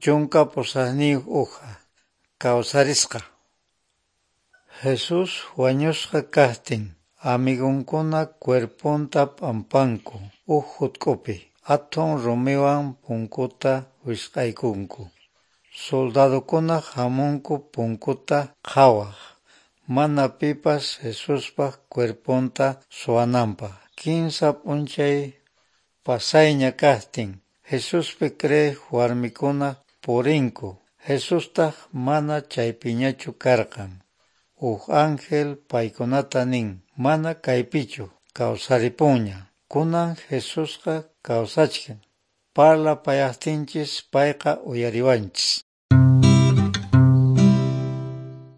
18 uja. Kawsarisqa. Jesús wañusqa kaqtin, amigunkuna cuerponta p'ampanku huk hutk'upi. Athun rumiwan punkuta wisq'aykunku. Soldadokuna hamunku punkuta qhawaq, mana pipas Jesuspa cuerponta suwananpaq. Kinsa p'unchay pasayña kaqtin, Jesuspi creeq warmikuna purinku, Jesustaq mana chaypiñachu karqan. Huk ángel paykunata nin, mana kaypichu, kawsaripunña. Kunan Jesusqa kawsachkan. Parlapayaqtinchis payqa uyariwanchis.